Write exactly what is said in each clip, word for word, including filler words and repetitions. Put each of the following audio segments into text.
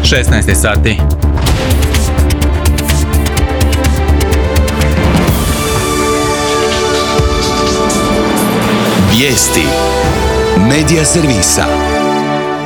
šesnaest sati. Vijesti Medija servisa.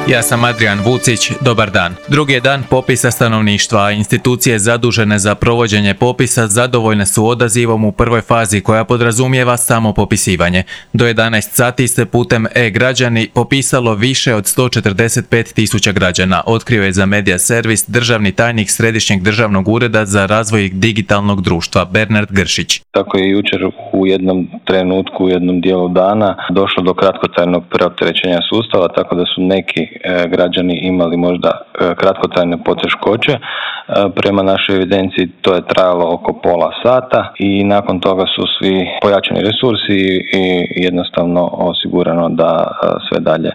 Ja sam Adrian Vucić, dobar dan. Drugi je dan popisa stanovništva, a institucije zadužene za provođenje popisa zadovoljne su odazivom u prvoj fazi koja podrazumijeva samo popisivanje. Do jedanaest sati se putem e-građani popisalo više od sto četrdeset pet tisuća građana, otkrio je za Medija servis državni tajnik Središnjeg državnog ureda za razvoj digitalnog društva Bernard Gršić. Tako je jučer u jednom trenutku, u jednom dijelu dana došlo do kratkotrajnog preopterećenja sustava, tako da su neki građani imali možda kratkotrajne poteškoće. Prema našoj evidenciji to je trajalo oko pola sata i nakon toga su svi pojačani resursi i jednostavno osigurano da sve dalje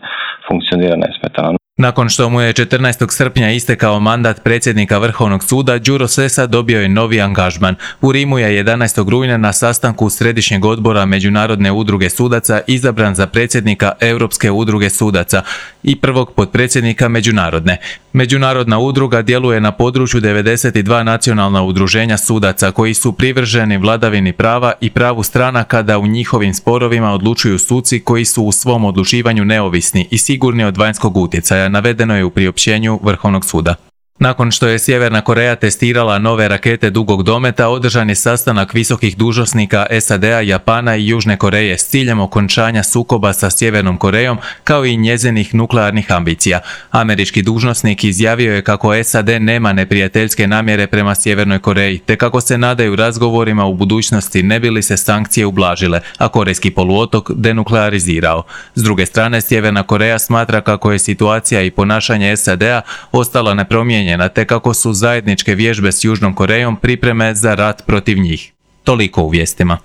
funkcionira nesmetano. Nakon što mu je četrnaestog srpnja istekao mandat predsjednika Vrhovnog suda, Đuro Sessa dobio je novi angažman. U Rimu je jedanaestog rujna na sastanku Središnjeg odbora Međunarodne udruge sudaca izabran za predsjednika Europske udruge sudaca i prvog potpredsjednika Međunarodne. Međunarodna udruga djeluje na području devedeset dva nacionalna udruženja sudaca koji su privrženi vladavini prava i pravu stranaka da u njihovim sporovima odlučuju suci koji su u svom odlučivanju neovisni i sigurni od vanjskog utjecaja, navedeno je u priopćenju Vrhovnog suda. Nakon što je Sjeverna Koreja testirala nove rakete dugog dometa, održan je sastanak visokih dužnosnika S A D-a, Japana i Južne Koreje s ciljem okončanja sukoba sa Sjevernom Korejom kao i njezinih nuklearnih ambicija. Američki dužnosnik izjavio je kako S A D nema neprijateljske namjere prema Sjevernoj Koreji, te kako se nadaju razgovorima u budućnosti ne bi li se sankcije ublažile, a korejski poluotok denuklearizirao. S druge strane, Sjeverna Koreja smatra kako je situacija i ponašanje S A D-a ostala nepromijenjena, te kako su zajedničke vježbe s Južnom Korejom pripreme za rat protiv njih. Toliko u vijestima.